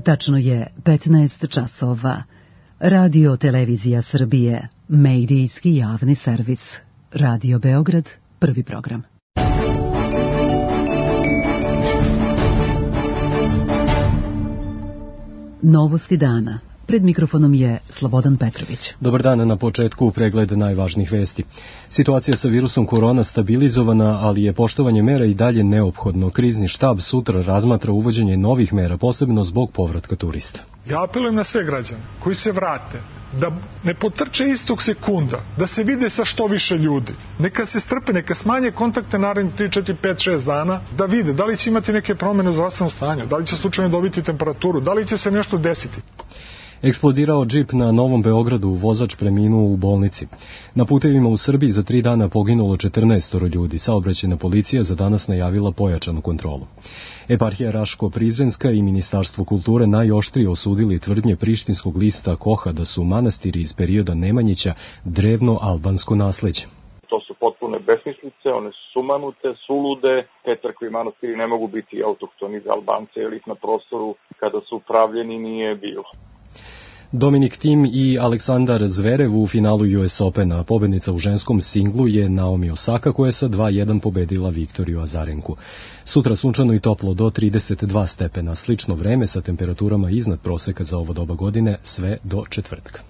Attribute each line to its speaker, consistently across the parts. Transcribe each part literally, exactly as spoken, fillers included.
Speaker 1: Tačno je petnaest časova. Radio Televizija Srbije, medijski javni servis. Radio Beograd, prvi program. Novosti dana. Pred mikrofonom je Slobodan Petrović.
Speaker 2: Dobar dan, na početku pregled najvažnijih vesti. Situacija sa virusom korona stabilizovana, ali je poštovanje mera i dalje neophodno. Krizni štab sutra razmatra uvođenje novih mera, posebno zbog povratka turista.
Speaker 3: Ja apelujem na sve građane koji se vrate, da ne potrče istog sekunda, da se vide sa što više ljudi. Neka se strpe, neka smanje kontakte narednih tri, četiri, pet, šest dana, da vide da li će imati neke promene u zdravstvenom stanju, da li će slučajno dobiti temperaturu, da li će se nešto desiti.
Speaker 2: Eksplodirao džip na Novom Beogradu, vozač preminuo u bolnici. Na putevima u Srbiji za tri dana poginulo četrnaest ljudi. Saobraćajna policija za danas najavila pojačanu kontrolu. Eparhija Raško-Prizrenska i Ministarstvo kulture najoštrije osudili tvrdnje prištinskog lista Koha da su manastiri iz perioda Nemanjića drevno albansko nasleđe.
Speaker 4: To su potpune besmislice, one su sumanute, sulude, te crkve i manastiri ne mogu biti autohtoni za Albance, jer ih na prostoru kada su upravljeni nije bilo.
Speaker 2: Dominik Thiem i Aleksandar Zverev u finalu U S Opena. Pobednica u ženskom singlu je Naomi Osaka, koja je sa dva jedan pobedila Viktoriju Azarenku. Sutra sunčano i toplo do trideset dva stepena. Slično vreme sa temperaturama iznad proseka za ovo doba godine, sve do četvrtka.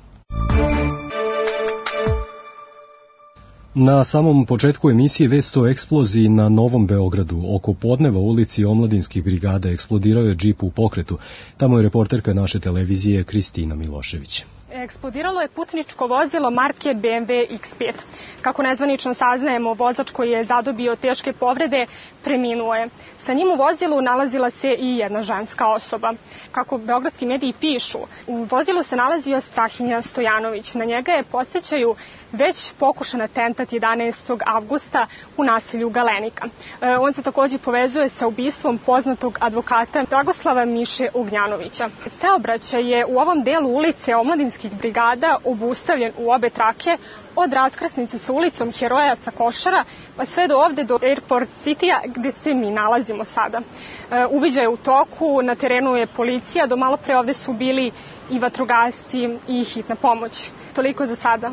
Speaker 2: Na samom početku emisije vest o eksploziji na Novom Beogradu. Oko podneva u ulici Omladinskih brigada eksplodirao je džip u pokretu. Tamo je reporterka naše televizije Kristina Milošević.
Speaker 5: Eksplodiralo je putničko vozilo marke B M W X pet. Kako nezvanično saznajemo, vozač koji je zadobio teške povrede preminuo je. Sa njim u vozilu nalazila se i jedna ženska osoba. Kako beogradski mediji pišu, u vozilu se nalazio Strahinja Stojanović. Na njega je podsjećaju već pokušan atentat jedanaestog avgusta u naselju Galenika. E, on se također povezuje sa ubistvom poznatog advokata Dragoslava Miše Ognjanovića. Saobraćaj je u ovom delu ulice Omladinskih brigada obustavljen u obe trake, od raskrsnice sa ulicom Heroja sa Košara pa sve do ovde do Airport City-a gde se mi nalazimo sada. E, uviđaj je u toku, na terenu je policija, do malo pre ovde su bili i vatrogasci i hitna pomoć. Toliko za sada.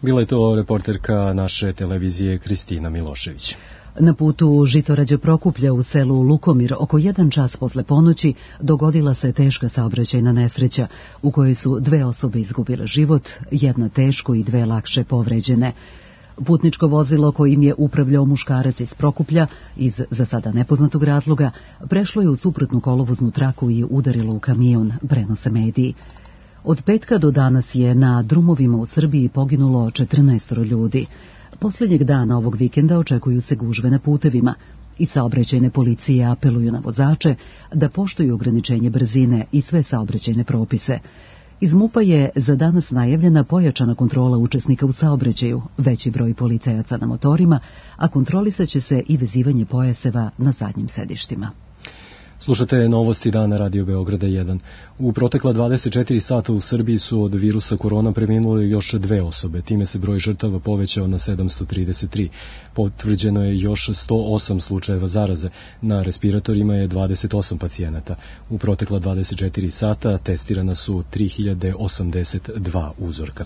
Speaker 2: Bila je to reporterka naše televizije Kristina Milošević.
Speaker 1: Na putu Žitorađe Prokuplja u selu Lukomir oko jedan čas posle ponoći dogodila se teška saobraćajna nesreća u kojoj su dve osobe izgubile život, jedna teško i dve lakše povređene. Putničko vozilo kojim je upravljao muškarac iz Prokuplja iz za sada nepoznatog razloga prešlo je u suprotnu kolovoznu traku i udarilo u kamion, prenose mediji. Od petka do danas je na drumovima u Srbiji poginulo četrnaest ljudi. Posljednjeg dana ovog vikenda očekuju se gužve na putevima i saobraćajne policije apeluju na vozače da poštuju ograničenje brzine i sve saobraćajne propise. Iz MUP-a je za danas najavljena pojačana kontrola učesnika u saobraćaju, veći broj policajaca na motorima, a kontrolisaće se i vezivanje pojaseva na zadnjim sedištima.
Speaker 2: Slušate novosti dana Radio Beograda jedan. U protekla dvadeset četiri sata u Srbiji su od virusa korona preminule još dve osobe. Time se broj žrtava povećao na sedamsto trideset tri. Potvrđeno je još sto osam slučajeva zaraze. Na respiratorima je dvadeset osam pacijenata. U protekla dvadeset četiri sata testirana su tri hiljade osamdeset dva uzorka.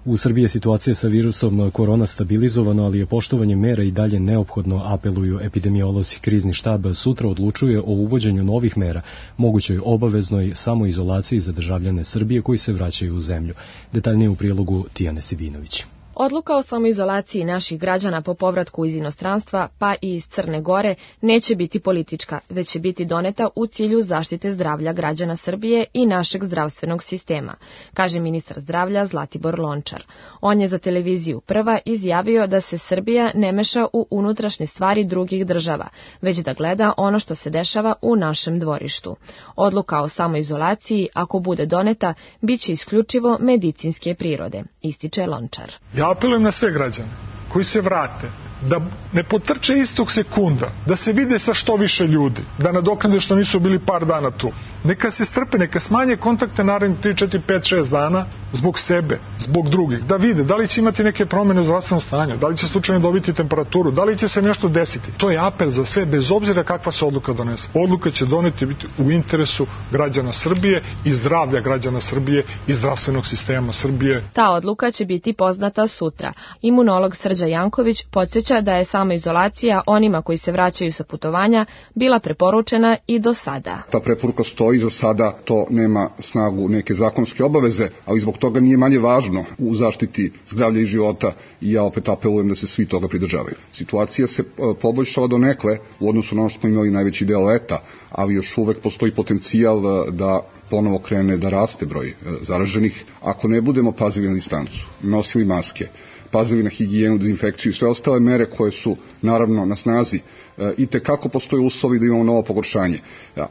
Speaker 2: U Srbiji je situacija sa virusom korona stabilizovana, ali je poštovanje mera i dalje neophodno, apeluju epidemiolozi. Krizni štab sutra odlučuje o uvođenju novih mera, mogućoj obaveznoj samoizolaciji za državljane Srbije koji se vraćaju u zemlju. Detaljnije u prilogu Tijane Sidinović.
Speaker 6: Odluka o samoizolaciji naših građana po povratku iz inostranstva, pa i iz Crne Gore, neće biti politička, već će biti doneta u cilju zaštite zdravlja građana Srbije i našeg zdravstvenog sistema, kaže ministar zdravlja Zlatibor Lončar. On je za televiziju Prva izjavio da se Srbija ne meša u unutrašnje stvari drugih država, već da gleda ono što se dešava u našem dvorištu. Odluka o samoizolaciji, ako bude doneta, bit će isključivo medicinske prirode, ističe Lončar.
Speaker 3: Ja apelujem na sve građane koji se vrate, da ne potrče istog sekunda, da se vide sa što više ljudi, da nadoknade što nisu bili par dana tu. Neka se strpe, neka smanje kontakte narednih tri, četiri, pet, šest dana zbog sebe, zbog drugih, da vide da li će imati neke promene u zdravstvenom stanju, da li će slučajno dobiti temperaturu, da li će se nešto desiti. To je apel za sve, bez obzira kakva se odluka donese. Odluka će doneti biti u interesu građana Srbije i zdravlja građana Srbije i zdravstvenog sistema Srbije.
Speaker 6: Ta odluka će biti poznata sutra. Imunolog Srđa Janković podsjeća da je samoizolacija onima koji se vraćaju sa putovanja bila preporučena i do sada.
Speaker 7: Ta preporuka stoji za sada, to nema snagu neke zakonske obaveze, ali zbog toga nije manje važno u zaštiti zdravlja i života i ja opet apelujem da se svi toga pridržavaju. Situacija se poboljšala do nekle u odnosu na ono što smo imali najveći deo leta, ali još uvek postoji potencijal da ponovo krene da raste broj zaraženih. Ako ne budemo pazili na distancu, nosili maske, pazili na higijenu, dezinfekciju i sve ostale mere koje su naravno na snazi, i te kako postoje uslovi da imamo novo pogoršanje,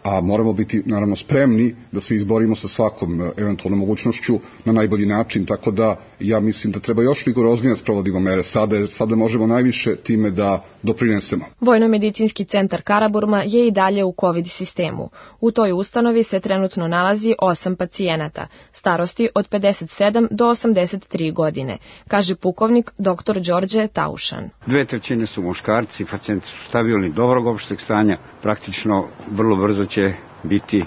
Speaker 7: a moramo biti naravno spremni da se izborimo sa svakom eventualnom mogućnošću na najbolji način, tako da ja mislim da treba još rigoroznije sprovodimo mere sada, jer sada možemo najviše time da doprinesemo.
Speaker 6: Vojno-medicinski centar Karaburma je i dalje u COVID sistemu. U toj ustanovi se trenutno nalazi osam pacijenata, starosti od pedeset sedam do osamdeset tri godine, kaže pukovnik doktor Đorđe Taušan.
Speaker 8: Dve trećine su muškarci, pacijenti su stabilni, dobrog opšteg stanja, praktično vrlo brzo će biti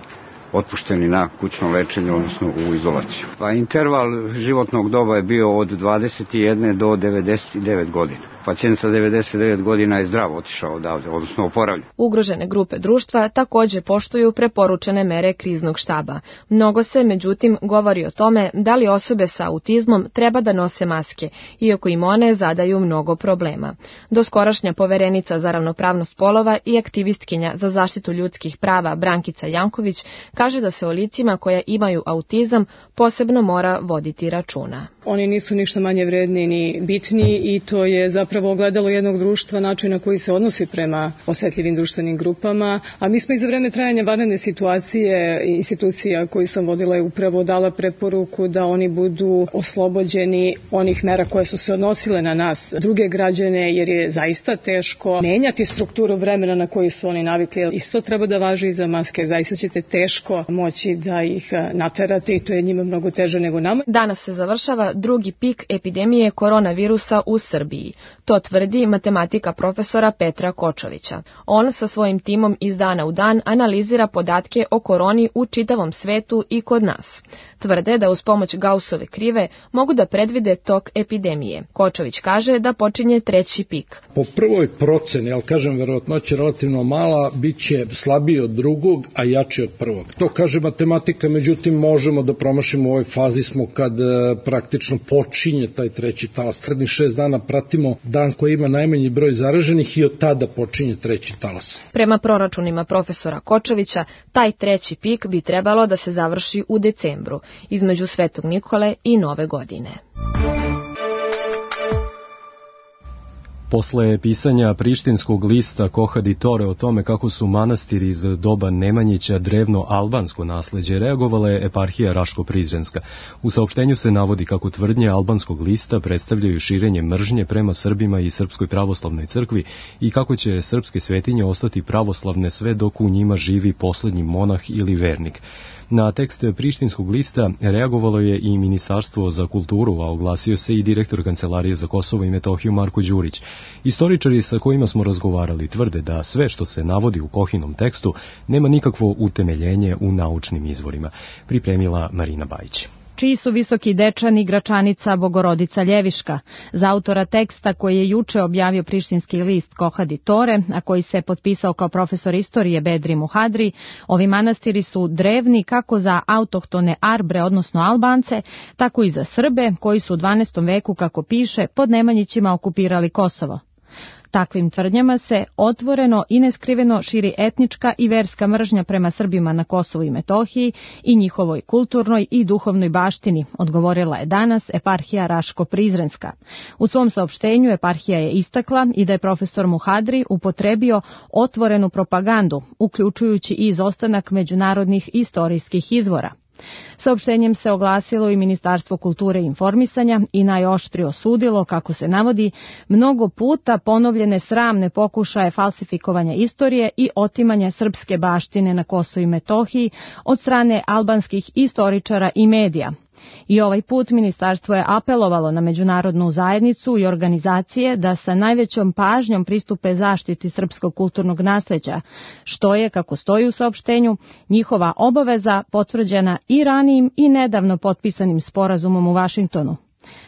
Speaker 8: otpušteni na kućno lečenje, odnosno u izolaciju. Pa interval životnog doba je bio od dvadeset jedne do devedeset devet godina. Pacijent sa devedeset devet godina je zdravo otišao odavde, odnosno oporavljen.
Speaker 6: Ugrožene grupe društva takođe poštuju preporučene mere kriznog štaba. Mnogo se, međutim, govori o tome da li osobe sa autizmom treba da nose maske, iako im one zadaju mnogo problema. Doskorašnja poverenica za ravnopravnost polova i aktivistkinja za zaštitu ljudskih prava Brankica Janković kaže da se o licima koja imaju autizam posebno mora voditi računa.
Speaker 9: Oni nisu ništa manje vredni ni bitni i to je zapravo ogledalo jednog društva, način na koji se odnosi prema osetljivim društvenim grupama, a mi smo i za vreme trajanja vanredne situacije institucija koju sam vodila je upravo dala preporuku da oni budu oslobođeni onih mera koje su se odnosile na nas, druge građane, jer je zaista teško menjati strukturu vremena na koju su oni navikli. Isto treba da važi i za maske, jer zaista ćete teško moći da ih naterate i to je njima mnogo teže nego nama.
Speaker 6: Danas se završava drugi pik epidemije koronavirusa u Srbiji. To tvrdi matematika profesora Petra Kočovića. On sa svojim timom iz dana u dan analizira podatke o koroni u čitavom svetu i kod nas. Tvrde da uz pomoć Gaussove krive mogu da predvide tok epidemije. Kočović kaže da počinje treći pik.
Speaker 10: Po prvoj proceni, ali kažem verovatnoća relativno mala, bit će slabiji od drugog, a jači od prvog. To kaže matematika, međutim možemo da promašimo u ovoj fazi smo kad e, praktično počinje taj treći talas. Narednih šest dana pratimo dan koji ima najmanji broj zaraženih i od tada počinje treći talas.
Speaker 6: Prema proračunima profesora Kočovića, taj treći pik bi trebalo da se završi u decembru, između Svetog Nikole i Nove godine.
Speaker 2: Posle pisanja prištinskog lista Koha di Tore o tome kako su manastiri iz doba Nemanjića drevno albansko nasleđe, reagovala je eparhija Raško-Prizrenska. U saopštenju se navodi kako tvrdnje albanskog lista predstavljaju širenje mržnje prema Srbima i Srpskoj pravoslavnoj crkvi i kako će srpske svetinje ostati pravoslavne sve dok u njima živi poslednji monah ili vernik. Na tekst prištinskog lista reagovalo je i Ministarstvo za kulturu, a oglasio se i direktor Kancelarije za Kosovo i Metohiju Marko Đurić. Istoričari sa kojima smo razgovarali tvrde da sve što se navodi u Kohinom tekstu nema nikakvo utemeljenje u naučnim izvorima. Pripremila Marina Bajić.
Speaker 11: Čiji su Visoki Dečani, Gračanica, Bogorodica Ljeviška. Za autora teksta koji je juče objavio prištinski list Koha di Tore, a koji se potpisao kao profesor istorije Bedri Muhadri, ovi manastiri su drevni kako za autohtone Arbre, odnosno Albance, tako i za Srbe, koji su u dvanaestom veku, kako piše, pod Nemanjićima okupirali Kosovo. Takvim tvrdnjama se otvoreno i neskriveno širi etnička i verska mržnja prema Srbima na Kosovu i Metohiji i njihovoj kulturnoj i duhovnoj baštini, odgovorila je danas eparhija Raško-Prizrenska. U svom saopštenju eparhija je istakla i da je profesor Muhadri upotrebio otvorenu propagandu, uključujući i izostanak međunarodnih istorijskih izvora. Saopštenjem se oglasilo i Ministarstvo kulture i informisanja i najoštrije osudilo, kako se navodi, mnogo puta ponovljene sramne pokušaje falsifikovanja istorije i otimanja srpske baštine na Kosovu i Metohiji od strane albanskih istoričara i medija. I ovaj put ministarstvo je apelovalo na međunarodnu zajednicu i organizacije da sa najvećom pažnjom pristupe zaštiti srpskog kulturnog nasleđa, što je, kako stoji u saopštenju, njihova obaveza potvrđena i ranijim i nedavno potpisanim sporazumom u Vašingtonu.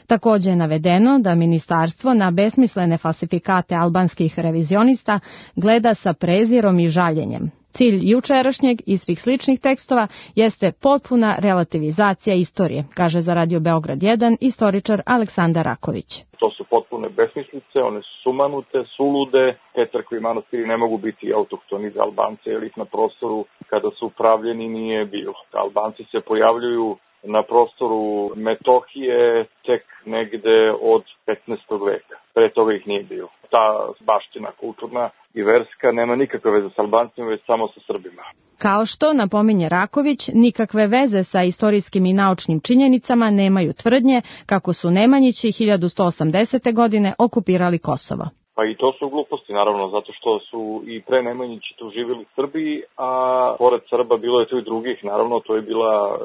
Speaker 11: Takođe je navedeno da ministarstvo na besmislene falsifikate albanskih revizionista gleda sa prezirom i žaljenjem. Cilj jučerašnjeg i svih sličnih tekstova jeste potpuna relativizacija istorije, kaže za Radio Beograd jedan istoričar Aleksandar Raković.
Speaker 4: To su potpune besmislice, one su sumanute, sulude, te crkve i manastiri ne mogu biti autohtoni za Albance, jer ih na prostoru kada su upravljeni nije bilo. Albanci se pojavljuju na prostoru Metohije tek negde od petnaestog veka. Pre toga ih nije bilo. Ta baština kulturna i verska nema nikakve veze sa Albancima, već samo sa Srbima.
Speaker 11: Kao što napominje Raković, nikakve veze sa istorijskim i naučnim činjenicama nemaju tvrdnje kako su Nemanjići hiljadu sto osamdesete. godine okupirali Kosovo.
Speaker 4: Pa i to su gluposti, naravno, zato što su i pre Nemanjići tu živjeli Srbi, a pored Srba bilo je tu i drugih, naravno, to je bila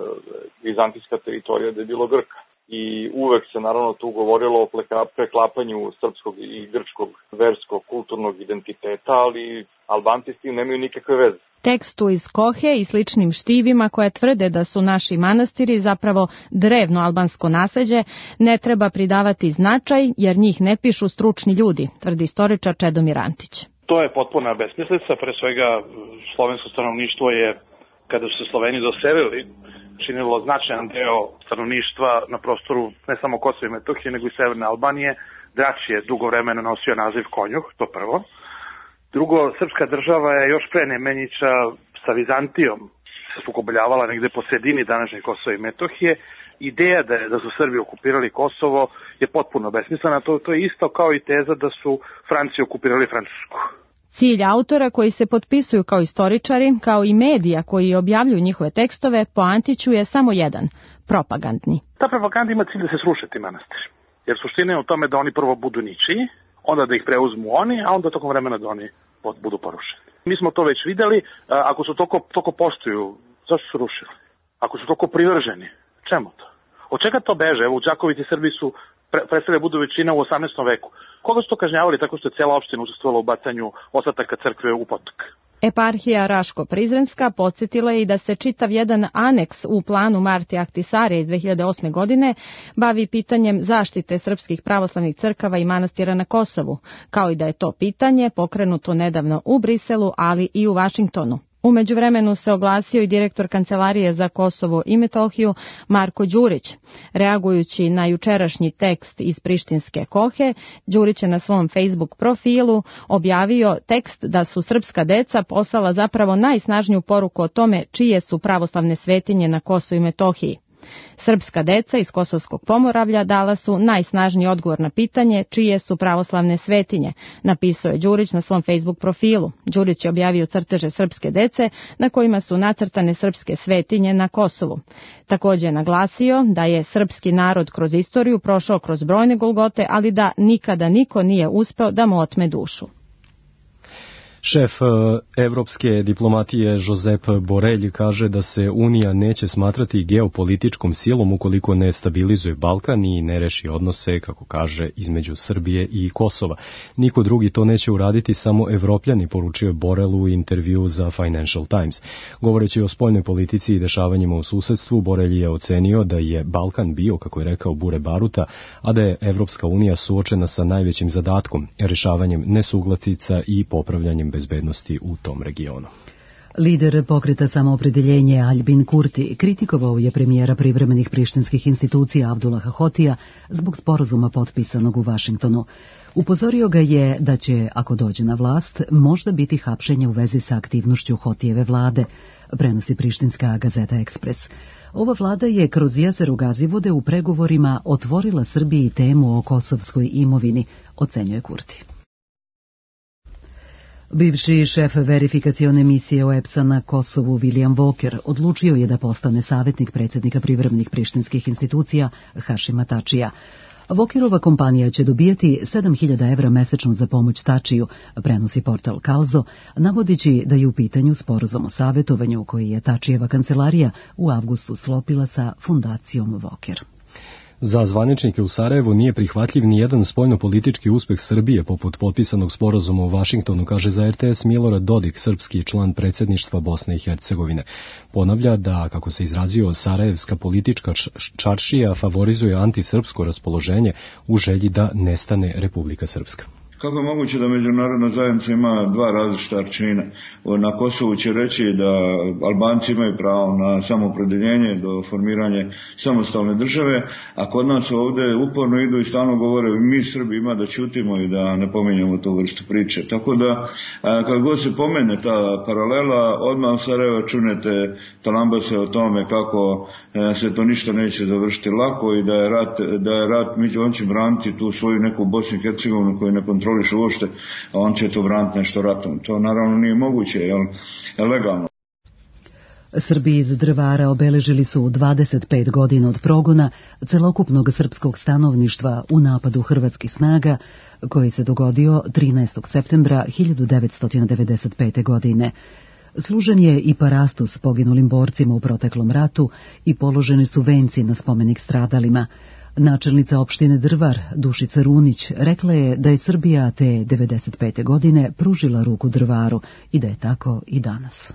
Speaker 4: vizantijska teritorija gde je bilo Grka. I uvek se naravno tu govorilo o preklapanju srpskog i grčkog verskog kulturnog identiteta, ali Albanci s tim nemaju nikakve veze.
Speaker 11: Tekstu iz Kohe i sličnim štivima koje tvrde da su naši manastiri zapravo drevno albansko nasleđe ne treba pridavati značaj jer njih ne pišu stručni ljudi, tvrdi istoričar Čedomir Antić.
Speaker 12: To je potpuna besmislica, pre svega slovensko stanovništvo je, kada su se Sloveni doselili, činilo značajan deo stanovništva na prostoru ne samo Kosova i Metohije, nego i Severne Albanije. Drač je dugo vremena nosio naziv Konjuh, to prvo. Drugo, srpska država je još pre Nemanjića sa Vizantijom se sukobljavala negde po sredini današnje Kosova i Metohije. Ideja da, je, da su Srbi okupirali Kosovo je potpuno besmislena. To, to je isto kao i teza da su Franci okupirali Francusku.
Speaker 11: Cilj autora koji se potpisuju kao istoričari, kao i medija koji objavljuju njihove tekstove, po Antiću je samo jedan, propagandni.
Speaker 12: Ta propaganda ima cilj da se sruše ti manastiri. Jer suština je u tome da oni prvo budu ničiji, onda da ih preuzmu oni, a onda tokom vremena da oni budu porušeni. Mi smo to već videli, ako su toliko, toliko poštuju, zašto su rušili? Ako su toliko privrženi, čemu to? Od čega to beže? Evo u Đakovici Srbi su pre, predstavljaju budu većina u osamnaestom veku. Koga su to kažnjavali tako što je cijela opština učestvovala u bacanju ostataka crkve u potok?
Speaker 11: Eparhija Raško-Prizrenska podsjetila je i da se čitav jedan aneks u planu Marti Ahtisaria iz dve hiljade osme. godine bavi pitanjem zaštite srpskih pravoslavnih crkava i manastira na Kosovu, kao i da je to pitanje pokrenuto nedavno u Briselu, ali i u Vašingtonu. U međuvremenu se oglasio i direktor Kancelarije za Kosovo i Metohiju Marko Đurić. Reagujući na jučerašnji tekst iz prištinske Kohe, Đurić je na svom Facebook profilu objavio tekst da su srpska deca poslala zapravo najsnažniju poruku o tome čije su pravoslavne svetinje na Kosovu i Metohiji. Srpska deca iz Kosovskog Pomoravlja dala su najsnažniji odgovor na pitanje čije su pravoslavne svetinje, napisao je Đurić na svom Facebook profilu. Đurić je objavio crteže srpske dece na kojima su nacrtane srpske svetinje na Kosovu. Također je naglasio da je srpski narod kroz istoriju prošao kroz brojne golgote, ali da nikada niko nije uspeo da mu otme dušu.
Speaker 2: Šef evropske diplomatije Josep Borrell kaže da se Unija neće smatrati geopolitičkom silom ukoliko ne stabilizuje Balkan i ne reši odnose, kako kaže, između Srbije i Kosova. Niko drugi to neće uraditi, samo Evropljani, poručio je Borrell u intervju za Financial Times. Govoreći o spoljnoj politici i dešavanjima u susedstvu, Borrell je ocenio da je Balkan bio, kako je rekao, bure baruta, a da je Evropska unija suočena sa najvećim zadatkom, rešavanjem nesuglasica i popravljanjem bezbednosti u tom regionu.
Speaker 1: Lider pokreta Samoopredeljenje Aljbin Kurti kritikovao je premijera privremenih prištinskih institucija Abdullaha Hotija zbog sporazuma potpisanog u Vašingtonu. Upozorio ga je da će, ako dođe na vlast, možda biti hapšenje u vezi sa aktivnošću Hotijeve vlade, prenosi prištinska gazeta Ekspres. Ova vlada je kroz jezeru Gazivode u pregovorima otvorila Srbiji temu o kosovskoj imovini, ocenjuje Kurti. Bivši šef verifikacione misije O E P S-a na Kosovu William Walker odlučio je da postane savjetnik predsjednika privremenih prištinskih institucija Hašima Tačija. Walkerova kompanija će dobijati sedam hiljada evra mesečno za pomoć Tačiju, prenosi portal Kalzo, navodići da je u pitanju sporazum o savjetovanju koji je Tačijeva kancelarija u avgustu sklopila sa fundacijom Walker.
Speaker 2: Za zvaničnike u Sarajevu nije prihvatljiv ni jedan spoljno-politički uspeh Srbije poput potpisanog sporazuma u Vašingtonu, kaže za R T S Milorad Dodik, srpski član predsjedništva Bosne i Hercegovine. Ponavlja da, kako se izrazio, sarajevska politička čaršija favorizuje antisrpsko raspoloženje u želji da nestane Republika Srpska.
Speaker 13: Kako je moguće da međunarodna zajednica ima dva različita arčina? Na Kosovu će reći da Albanci imaju pravo na samoopredeljenje do formiranja samostalne države, a kod nas ovdje uporno idu i stalno govore mi Srbi ima da ćutimo i da ne pominjamo tu vrstu priče. Tako da kad god se pomene ta paralela, odmah u Sarajevo čunete talambase o tome kako se to ništa neće završiti lako i da je rat, da je rat među on će braniti tu svoju neku Bosnu i Hercegovinu koju ne kontroliše uopšte, a on će to braniti nešto ratom. To naravno nije moguće, jel, legalno.
Speaker 1: Srbi iz Drvara obeležili su dvadeset pet godina od progona celokupnog srpskog stanovništva u napadu hrvatskih snaga koji se dogodio trinaestog septembra hiljadu devetsto devedeset pete. godine. Služen je i parastos poginulim borcima u proteklom ratu i položeni su venci na spomenik stradalima. Načelnica opštine Drvar, Dušica Runić, rekla je da je Srbija te devedeset pete. godine pružila ruku Drvaru i da je tako i danas.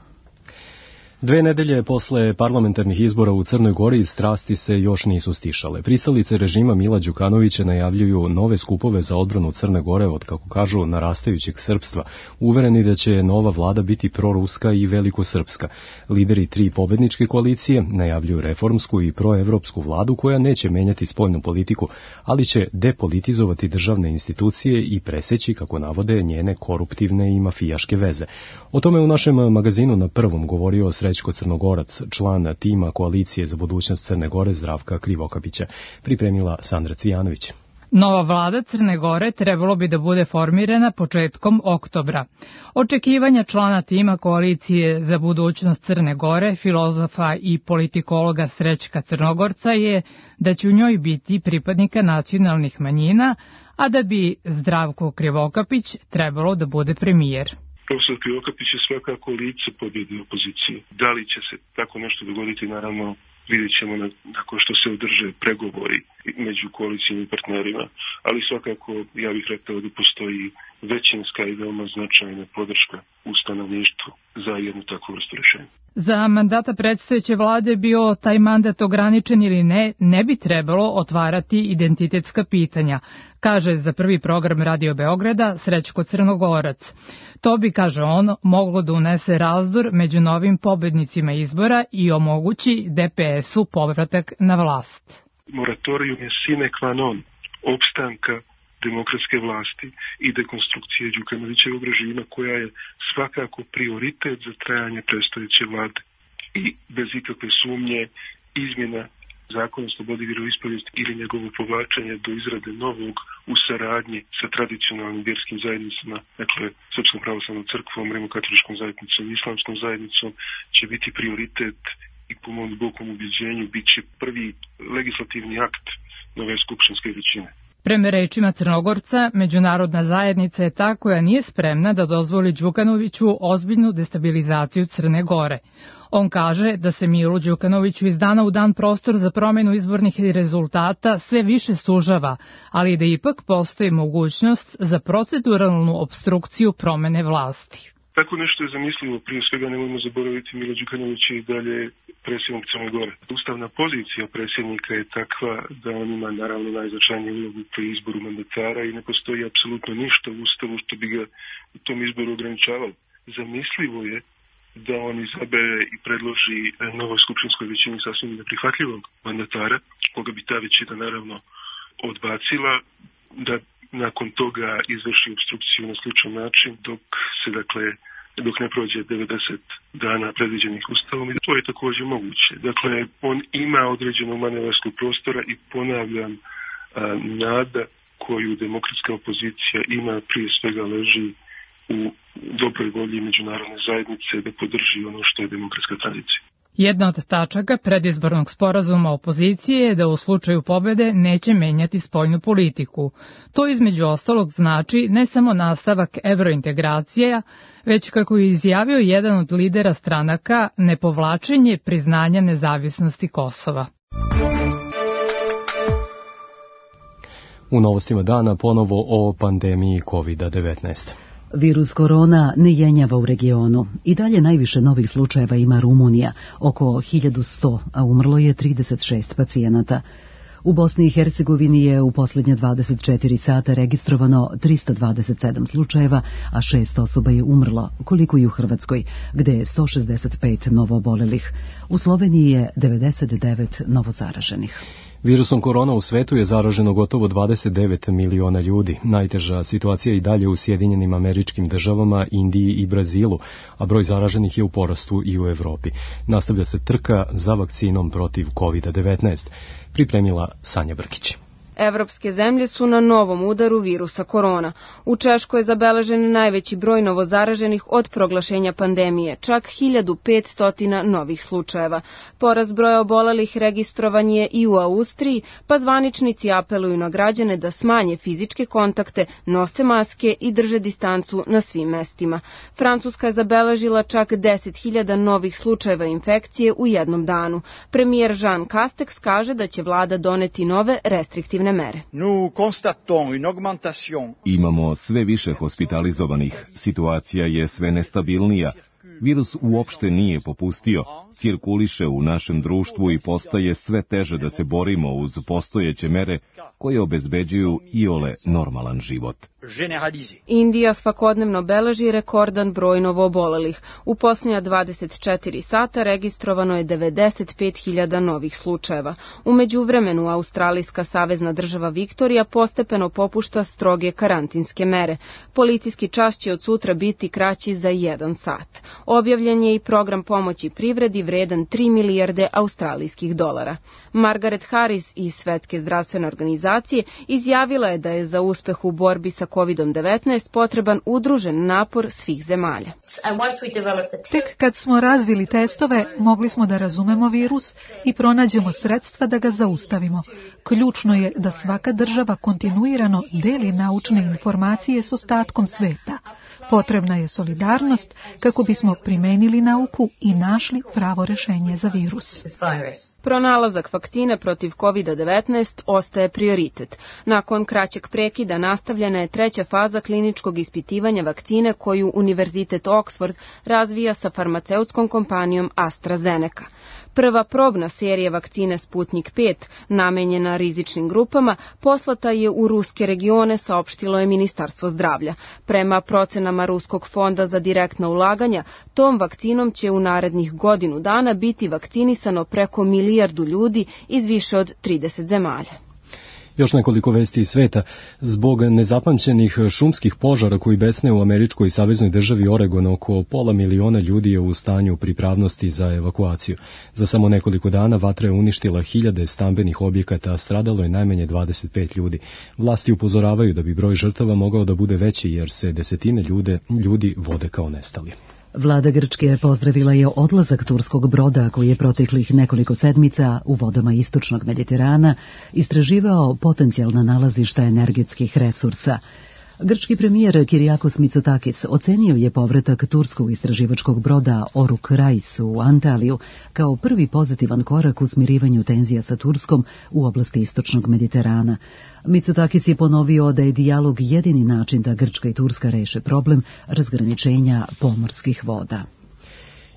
Speaker 2: Dve nedelje posle parlamentarnih izbora u Crnoj Gori strasti se još nisu stišale. Pristalice režima Mila Đukanovića najavljuju nove skupove za odbranu Crne Gore od, kako kažu, narastajućeg srpstva, uvereni da će nova vlada biti proruska i velikosrpska. Lideri tri pobedničke koalicije najavljuju reformsku i proevropsku vladu koja neće menjati spoljnu politiku, ali će depolitizovati državne institucije i preseći, kako navode, njene koruptivne i mafijaške veze. O tome u našem magazinu Na prvom govorio Srećko Crnogorac, član tima Koalicije za budućnost Crne Gore Zdravka Krivokapića, pripremila Sandra Cvijanović.
Speaker 14: Nova vlada Crne Gore trebalo bi da bude formirana početkom oktobra. Očekivanja člana tima Koalicije za budućnost Crne Gore, filozofa i politikologa Srećka Crnogorca je da će u njoj biti pripadnika nacionalnih manjina, a da bi Zdravko Krivokapić trebalo da bude premijer.
Speaker 15: Profesor Krivokapić je svakako lice pobjede opozicije. Da li će se tako nešto dogoditi, naravno vidjet ćemo nakon što se održe pregovori među koalicijnim partnerima, ali svakako ja bih rekao da postoji većinska i veoma značajna podrška u stanovništvu za jednu takvu vrstu rješenja.
Speaker 14: Za mandata predstojeće vlade bio taj mandat ograničen ili ne, ne bi trebalo otvarati identitetska pitanja, kaže za prvi program Radio Beograda Srećko Crnogorac. To bi, kaže on, moglo da unese razdor među novim pobednicima izbora i omogući D P S-u povratak na vlast.
Speaker 15: Moratorium je sine qua non opstanka demokratske vlasti i dekonstrukcije Đukanovićevog režima koja je svakako prioritet za trajanje predstojeće vlade. I bez ikakve sumnje izmjena zakona o slobodi vjeroispovijesti ili njegovo povlačenje do izrade novog u saradnji sa tradicionalnim vjerskim zajednicama, dakle Srpskom pravoslavnom crkvom, Rimokatoličkom zajednicom i Islamskom zajednicom, će biti prioritet i po mom dubokom ubjeđenju bit će prvi legislativni akt nove skupštinske većine.
Speaker 14: Prema rečima Crnogorca, međunarodna zajednica je ta koja nije spremna da dozvoli Đukanoviću ozbiljnu destabilizaciju Crne Gore. On kaže da se Milu Đukanoviću iz dana u dan prostor za promjenu izbornih rezultata sve više sužava, ali da ipak postoji mogućnost za proceduralnu obstrukciju promjene vlasti.
Speaker 15: Tako nešto je zamislivo, prije svega nemojmo zaboraviti Milo Đukanović i dalje predsjednik Crne Gore. Ustavna pozicija predsjednika je takva da on ima naravno najznačajniju ulogu pri izboru mandatara i ne postoji apsolutno ništa u Ustavu što bi ga u tom izboru ograničavalo. Zamislivo je da on izabere i predloži novoj skupštinskoj većini sasvim neprihvatljivog mandatara, koga bi ta većina naravno odbacila, da nakon toga izvrši obstrukciju na sličan način dok se, dakle, dok ne prođe devedeset dana predviđenih Ustavom i to je također moguće. Dakle, on ima određenog manevarskog prostora i ponavljam, a, nada koju demokratska opozicija ima prije svega leži u dobroj volji međunarodne zajednice da podrži ono što je demokratska tranzicija.
Speaker 14: Jedna od tačaka predizbornog sporazuma opozicije je da u slučaju pobede neće menjati spoljnu politiku. To između ostalog znači ne samo nastavak evrointegracija, već kako je izjavio jedan od lidera stranaka, nepovlačenje priznanja nezavisnosti Kosova.
Speaker 2: U novostima dana ponovo o pandemiji kovida devetnaest.
Speaker 1: Virus korona ne jenjava u regionu. I dalje najviše novih slučajeva ima Rumunija, oko hiljadu sto, a umrlo je trideset šest pacijenata. U Bosni i Hercegovini je u posljednje dvadeset četiri sata registrovano trista dvadeset sedam slučajeva, a šest osoba je umrlo, koliko i u Hrvatskoj, gde je sto šezdeset pet novoobolelih. U Sloveniji je devedeset devet novozaraženih.
Speaker 2: Virusom korona u svetu je zaraženo gotovo dvadeset devet miliona ljudi. Najteža situacija je i dalje u Sjedinjenim Američkim Državama, Indiji i Brazilu, a broj zaraženih je u porastu i u Evropi. Nastavlja se trka za vakcinom protiv kovida devetnaest. Pripremila Sanja Brkić.
Speaker 6: Evropske zemlje su na novom udaru virusa korona. U Češkoj je zabeležen najveći broj novozaraženih od proglašenja pandemije, čak hiljadu petsto novih slučajeva. Porast broja obolelih registrovan je i u Austriji, pa zvaničnici apeluju na građane da smanje fizičke kontakte, nose maske i drže distancu na svim mestima. Francuska je zabeležila čak deset hiljada novih slučajeva infekcije u jednom danu. Premijer Jean Castex kaže da će vlada doneti nove restriktivne mere.
Speaker 16: Imamo sve više hospitalizovanih, situacija je sve nestabilnija, virus uopšte nije popustio, cirkuliše u našem društvu i postaje sve teže da se borimo uz postojeće mere koje obezbeđuju iole normalan život.
Speaker 6: Indija svakodnevno beleži rekordan broj novoobolelih. U posljednja dvadeset četiri sata registrovano je devedeset pet hiljada novih slučajeva. U međuvremenu Australijska savezna država Viktorija postepeno popušta stroge karantinske mere. Policijski čas će od sutra biti kraći za jedan sat. Objavljen je i program pomoći privredi vredan tri milijarde australijskih dolara. Margaret Harris iz Svetske zdravstvene organizacije izjavila je da je za uspeh u borbi sa kovidom devetnaest potreban udružen napor svih zemalja.
Speaker 17: Tek kad smo razvili testove, mogli smo da razumemo virus i pronađemo sredstva da ga zaustavimo. Ključno je da svaka država kontinuirano deli naučne informacije s ostatkom sveta. Potrebna je solidarnost kako bismo primenili nauku i našli pravo rešenje za virus.
Speaker 6: Pronalazak vakcine protiv kovida devetnaest ostaje prioritet. Nakon kraćeg prekida nastavljena je treća faza kliničkog ispitivanja vakcine koju Univerzitet Oxford razvija sa farmaceutskom kompanijom AstraZeneca. Prva probna serija vakcine Sputnik pet, namenjena rizičnim grupama, poslata je u ruske regione, saopštilo je Ministarstvo zdravlja. Prema procenama Ruskog fonda za direktna ulaganja, tom vakcinom će u narednih godinu dana biti vakcinisano preko milijardu ljudi iz više od trideset zemalja.
Speaker 2: Još nekoliko vesti iz sveta. Zbog nezapamćenih šumskih požara koji besne u američkoj saveznoj državi Oregon, oko pola miliona ljudi je u stanju pripravnosti za evakuaciju. Za samo nekoliko dana vatra je uništila hiljade stambenih objekata, a stradalo je najmanje dvadeset pet ljudi. Vlasti upozoravaju da bi broj žrtava mogao da bude veći jer se desetine ljude, ljudi vode kao nestali.
Speaker 1: Vlada Grčke pozdravila je odlazak turskog broda koji je proteklih nekoliko sedmica u vodama istočnog Mediterana istraživao potencijalna nalazišta energetskih resursa. Grčki premijer Kyriakos Mitsotakis ocenio je povratak turskog istraživačkog broda Oruk Rais u Antaliju kao prvi pozitivan korak u smirivanju tenzija sa Turskom u oblasti istočnog Mediterana. Mitsotakis je ponovio da je dijalog jedini način da Grčka i Turska reše problem razgraničenja pomorskih voda.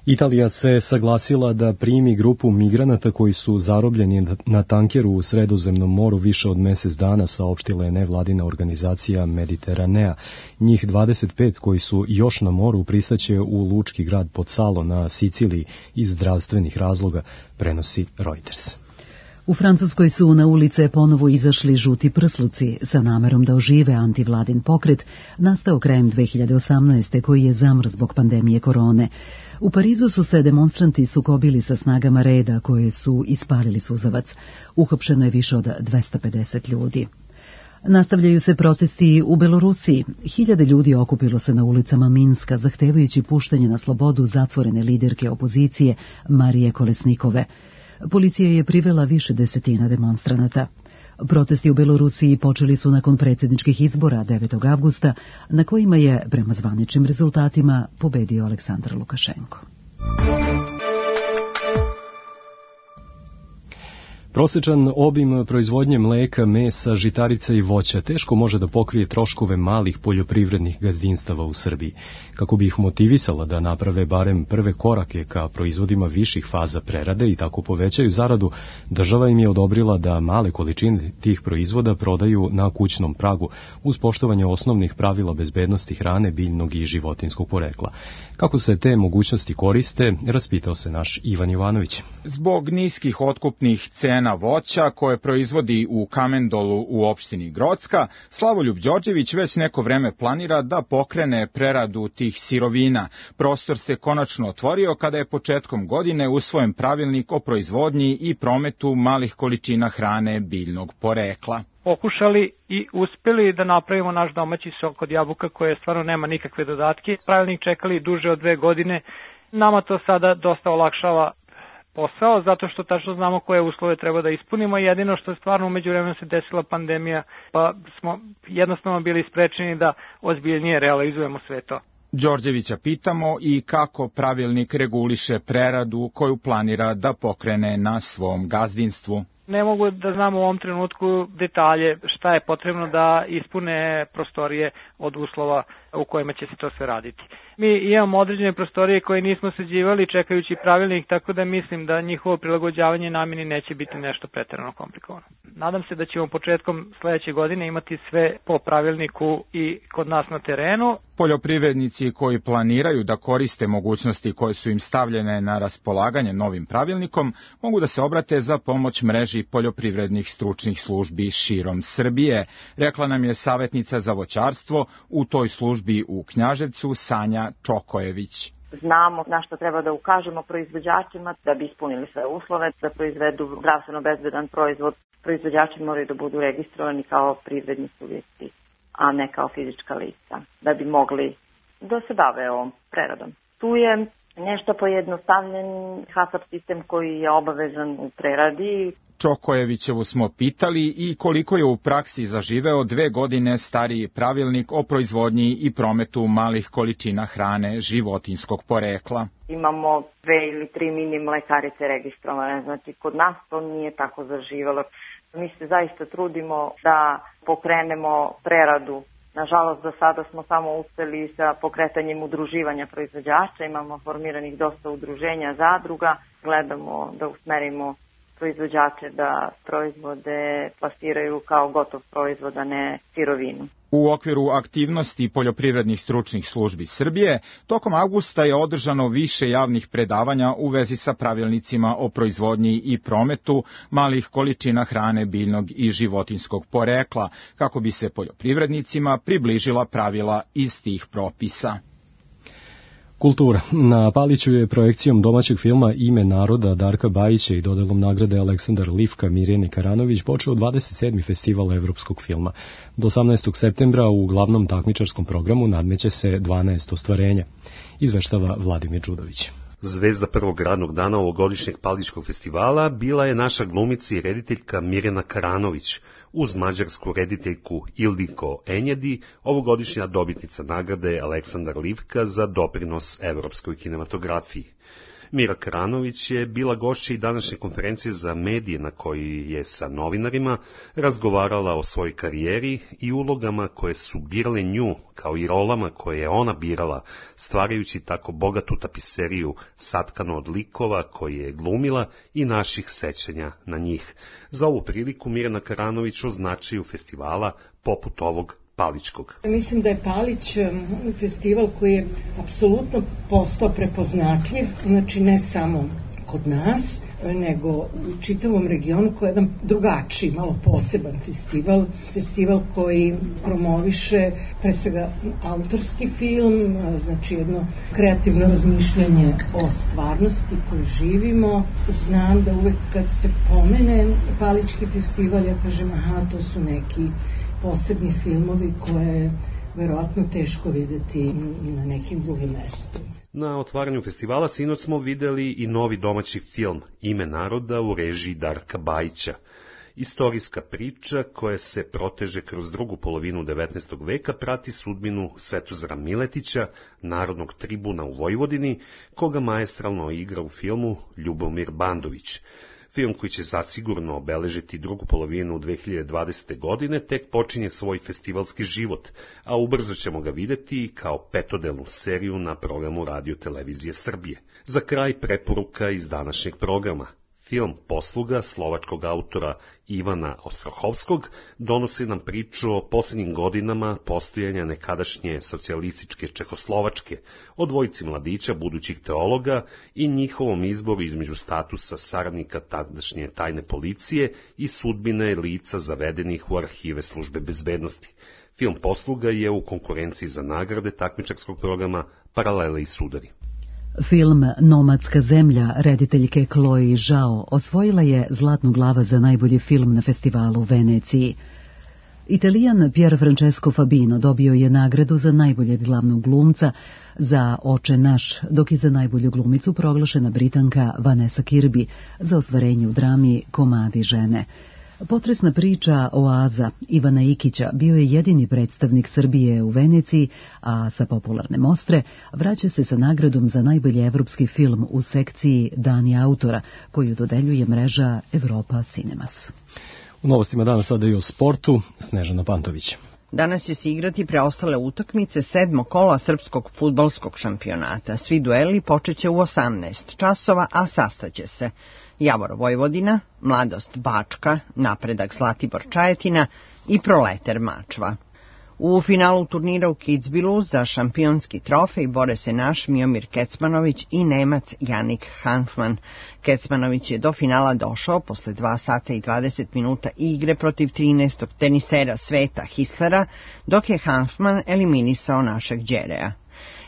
Speaker 2: Italija se saglasila da primi grupu migranata koji su zarobljeni na tankeru u Sredozemnom moru više od mesec dana, saopštila je nevladina organizacija Mediteranea. Njih dvadeset pet koji su još na moru pristaće u lučki grad Pozzallo na Siciliji iz zdravstvenih razloga, prenosi Reuters.
Speaker 1: U Francuskoj su na ulice ponovo izašli žuti prsluci sa namerom da ožive antivladin pokret, nastao krajem dve hiljade osamnaeste koji je zamr zbog pandemije korone. U Parizu su se demonstranti sukobili sa snagama reda koje su ispalili suzavac. Uhapšeno je više od dvesta pedeset ljudi. Nastavljaju se protesti u Belorusiji. Hiljade ljudi okupilo se na ulicama Minska, zahtevajući puštanje na slobodu zatvorene liderke opozicije Marije Kolesnikove. Policija je privela više desetina demonstranata. Protesti u Belorusiji počeli su nakon predsjedničkih izbora devetog avgusta, na kojima je, prema zvaničnim rezultatima, pobedio Aleksandar Lukašenko.
Speaker 2: Prosječan obim proizvodnje mleka, mesa, žitarica i voća teško može da pokrije troškove malih poljoprivrednih gazdinstava u Srbiji. Kako bi ih motivisala da naprave barem prve korake ka proizvodima viših faza prerade i tako povećaju zaradu, država im je odobrila da male količine tih proizvoda prodaju na kućnom pragu uz poštovanje osnovnih pravila bezbednosti hrane, biljnog i životinskog porekla. Kako se te mogućnosti koriste, raspitao se naš Ivan Jovanović.
Speaker 18: Zbog niskih otkupnih cena voća koje proizvodi u Kamendolu u opštini Grocka, Slavoljub Đorđević već neko vreme planira da pokrene preradu tih sirovina. Prostor se konačno otvorio kada je početkom godine usvojen pravilnik o proizvodnji i prometu malih količina hrane biljnog porekla.
Speaker 19: Pokušali i uspeli da napravimo naš domaći sok od jabuka koje stvarno nema nikakve dodatke. Pravilnik čekali duže od dve godine. Nama to sada dosta olakšava posao, zato što tačno znamo koje uslove treba da ispunimo. Jedino što je stvarno umeđu vremenu se desila pandemija, pa smo jednostavno bili sprečeni da ozbiljnije realizujemo sve to.
Speaker 18: Đorđevića pitamo i kako pravilnik reguliše preradu koju planira da pokrene na svom gazdinstvu.
Speaker 19: Ne mogu da znamo u ovom trenutku detalje šta je potrebno da ispune prostorije od uslova u kojima će se to sve raditi. Mi imamo određene prostorije koje nismo sređivali čekajući pravilnik, tako da mislim da njihovo prilagođavanje namjeni neće biti nešto pretjerano komplikovano. Nadam se da ćemo početkom sledeće godine imati sve po pravilniku i kod nas na terenu.
Speaker 18: Poljoprivrednici koji planiraju da koriste mogućnosti koje su im stavljene na raspolaganje novim pravilnikom mogu da se obrate za pomoć mreži poljoprivrednih stručnih službi širom Srbije, rekla nam je savjetnica za voćarstvo u toj službi u Knjaževcu Sanja Čokojević.
Speaker 20: Znamo na što treba da ukažemo proizvođačima da bi ispunili sve uslove, da proizvedu zdravstveno bezbedan proizvod. Proizvođači moraju da budu registrovani kao privredni subjekti, a ne kao fizička lica, da bi mogli da se bave ovom preradom. Tu je nešto pojednostavljen HASAP sistem koji je obavezan u preradi.
Speaker 18: Čokojevićevu smo pitali i koliko je u praksi zaživeo dve godine stariji pravilnik o proizvodnji i prometu malih količina hrane životinjskog porekla.
Speaker 20: Imamo dve ili tri mini mlekarice registrovane, znači kod nas to nije tako zaživelo. Mi se zaista trudimo da pokrenemo preradu. Nažalost, do sada smo samo uspeli sa pokretanjem udruživanja proizvođača, imamo formiranih dosta udruženja zadruga, gledamo da usmerimo proizvođače da proizvode plasiraju kao gotov proizvod, a ne sirovinu.
Speaker 18: U okviru aktivnosti poljoprivrednih stručnih službi Srbije, tokom avgusta je održano više javnih predavanja u vezi sa pravilnicima o proizvodnji i prometu malih količina hrane biljnog i životinjskog porekla, kako bi se poljoprivrednicima približila pravila iz tih propisa.
Speaker 2: Kultura. Na Paliću je projekcijom domaćeg filma Ime naroda Darka Bajića i dodelom nagrade Aleksandar Livka Mirjani Karanović počeo dvadeset sedmi festival evropskog filma. Do osamnaestog septembra u glavnom takmičarskom programu nadmeće se dvanaest ostvarenja. Izveštava Vladimir Đudović.
Speaker 21: Zvezda prvog radnog dana ovogodišnjeg Palićkog festivala bila je naša glumica i rediteljka Mirjana Karanović, uz mađarsku rediteljku Ildiko Enjedi, ovogodišnja dobitnica nagrade Aleksandar Livka za doprinos evropskoj kinematografiji. Mira Karanović je bila gošća i današnje konferencije za medije na kojoj je sa novinarima razgovarala o svojoj karijeri i ulogama koje su birale nju, kao i rolama koje je ona birala, stvarajući tako bogatu tapiseriju satkano od likova koje je glumila i naših sećanja na njih. Za ovu priliku Mirjana Karanović označuju festivala poput ovog Palićkog.
Speaker 22: Mislim da je Palić festival koji je apsolutno postao prepoznatljiv, znači ne samo kod nas, nego u čitavom regionu, koji je jedan drugačiji, malo poseban festival, festival koji promoviše pre svega autorski film, znači jedno kreativno razmišljanje o stvarnosti koju živimo. Znam da uvek kad se pomene Palićki festival, ja kažem, aha, to su neki posebni filmovi koje je verovatno teško videti na nekim drugim mestima.
Speaker 21: Na otvaranju festivala sinoć smo videli i novi domaći film Ime naroda u režiji Darka Bajića. Istorijska priča koja se proteže kroz drugu polovinu devetnaestog veka prati sudbinu Svetozara Miletića, narodnog tribuna u Vojvodini, koga maestralno igra u filmu Ljubomir Bandović. Film koji će zasigurno obeležiti drugu polovinu dve hiljade dvadesete. godine tek počinje svoj festivalski život, a ubrzo ćemo ga videti kao petodelnu seriju na programu Radio Televizije Srbije. Za kraj preporuka iz današnjeg programa. Film Posluga slovačkog autora Ivana Ostrohovskog donosi nam priču o posljednjim godinama postojanja nekadašnje socijalističke Čehoslovačke, o dvojici mladića budućih teologa i njihovom izboru između statusa saradnika tadašnje tajne policije i sudbine lica zavedenih u arhive službe bezbednosti. Film Posluga je u konkurenciji za nagrade takmičarskog programa Paralele i sudari.
Speaker 1: Film Nomadska zemlja rediteljke Chloe Zhao osvojila je Zlatnu glava za najbolji film na festivalu u Veneciji. Italijan Pier Francesco Fabino dobio je nagradu za najboljeg glavnog glumca za Oče naš, dok je za najbolju glumicu proglašena Britanka Vanessa Kirby za ostvarenje u drami Komadi žene. Potresna priča Oaza Ivana Ikića bio je jedini predstavnik Srbije u Veneciji, a sa popularne mostre vraća se sa nagradom za najbolji evropski film u sekciji Dani autora, koju dodeljuje mreža Evropa Cinemas.
Speaker 2: U novostima danas sada i o sportu, Snežana Pantović.
Speaker 3: Danas će se igrati preostale utakmice sedmog kola srpskog fudbalskog šampionata. Svi dueli počeće u osamnaest časova, a sastaće se Javor Vojvodina, Mladost Bačka, Napredak Zlatibor Čajetina i Proleter Mačva. U finalu turnira u Kitzbühelu za šampionski trofej bore se naš Miomir Kecmanović i Nemac Janik Hanfman. Kecmanović je do finala došao posle dva sata i dvadeset minuta igre protiv trinaestog tenisera sveta Hislera, dok je Hanfman eliminisao našeg Đereja.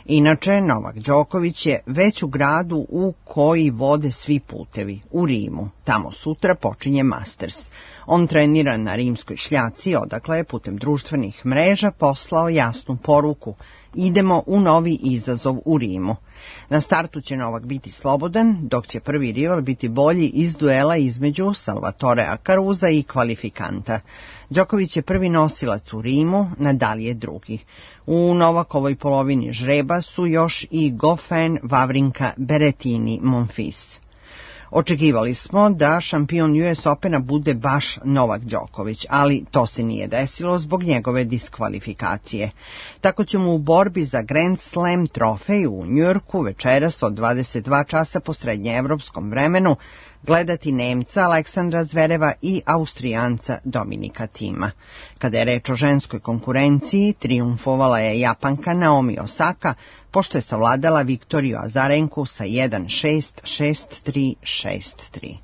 Speaker 3: Inače, Novak Đoković je već u gradu u koji vode svi putevi, u Rimu. Tamo sutra počinje Masters. On trenira na rimskoj šljaci, odakle je putem društvenih mreža poslao jasnu poruku: idemo u novi izazov u Rimu. Na startu će Novak biti slobodan, dok će prvi rival biti bolji iz duela između Salvatore Akaruza i kvalifikanta. Đoković je prvi nosilac u Rimu, Nadal je drugi. U Novakovoj polovini žreba su još i Goffin, Wawrinka, Berrettini, Monfils. Očekivali smo da šampion U S Opena bude baš Novak Đoković, ali to se nije desilo zbog njegove diskvalifikacije. Tako ćemo u borbi za Grand Slam trofej u Njujorku večeras od dvadeset dva časa po srednjeevropskom vremenu gledati Nemca Aleksandra Zvereva i Austrijanca Dominika Tima. Kada je reč o ženskoj konkurenciji, trijumfovala je Japanka Naomi Osaka, pošto je savladala Viktoriju Azarenku sa jedan šest, šest tri, šest tri.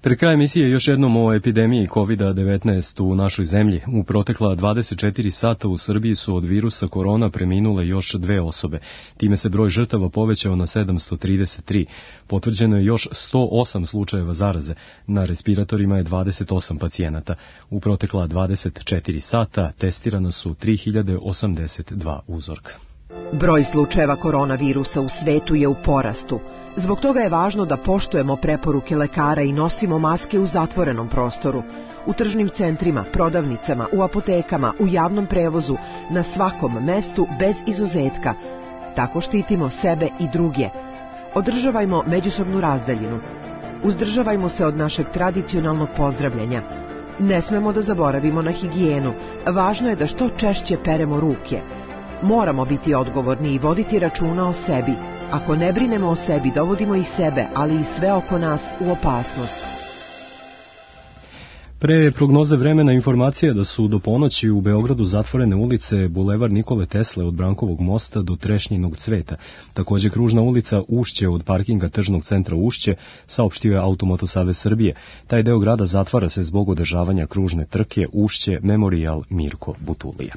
Speaker 2: Pred kraj emisije još jednom o epidemiji kovid devetnaest u našoj zemlji. U protekla dvadeset četiri sata u Srbiji su od virusa korona preminule još dve osobe. Time se broj žrtava povećao na sedamsto trideset tri. Potvrđeno je još sto osam slučajeva zaraze. Na respiratorima je dvadeset osam pacijenata. U protekla dvadeset četiri sata testirana su tri hiljade osamdeset dva uzorka.
Speaker 5: Broj slučajeva koronavirusa u svetu je u porastu. Zbog toga je važno da poštujemo preporuke lekara i nosimo maske u zatvorenom prostoru, u tržnim centrima, prodavnicama, u apotekama, u javnom prevozu, na svakom mestu bez izuzetka. Tako štitimo sebe i druge. Održavajmo međusobnu razdaljinu. Uzdržavajmo se od našeg tradicionalnog pozdravljanja. Ne smemo da zaboravimo na higijenu. Važno je da što češće peremo ruke. Moramo biti odgovorni i voditi računa o sebi. Ako ne brinemo o sebi, dovodimo i sebe, ali i sve oko nas u opasnost.
Speaker 2: Pre prognoze vremena informacija da su do ponoći u Beogradu zatvorene ulice Bulevar Nikole Tesle od Brankovog mosta do Trešnjinog cveta. Također kružna ulica Ušće od parkinga Tržnog centra Ušće, saopštio je Automoto Savez Srbije. Taj deo grada zatvara se zbog održavanja kružne trke Ušće Memorial Mirko Butulija.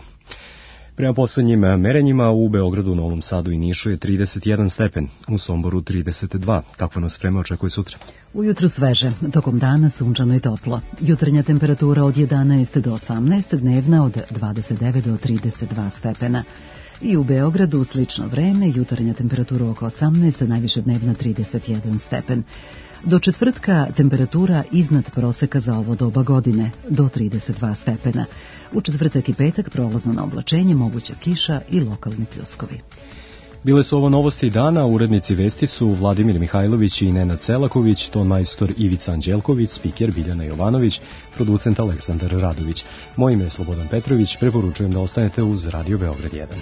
Speaker 2: Prema poslednjim merenjima u Beogradu, Novom Sadu i Nišu je trideset jedan stepen, u Somboru trideset dva. Kakva nas vreme očekuje sutra?
Speaker 1: Ujutru sveže, tokom dana sunčano i toplo. Jutarnja temperatura od jedanaest do osamnaest, dnevna od dvadeset devet do trideset dva stepena. I u Beogradu slično vreme, jutarnja temperatura oko osamnaest, najviše dnevna trideset jedan stepen. Do četvrtka temperatura iznad proseka za ovo doba godine, do trideset dva stepena. U četvrtak i petak prolazno na oblačenje, moguća kiša i lokalni pljuskovi.
Speaker 2: Bile su ovo novosti dana, urednici vesti su Vladimir Mihajlović i Nenad Celaković, ton majstor Ivica Anđelković, spiker Biljana Jovanović, producent Aleksandar Radović. Moje ime je Slobodan Petrović, preporučujem da ostanete uz Radio Beograd jedan.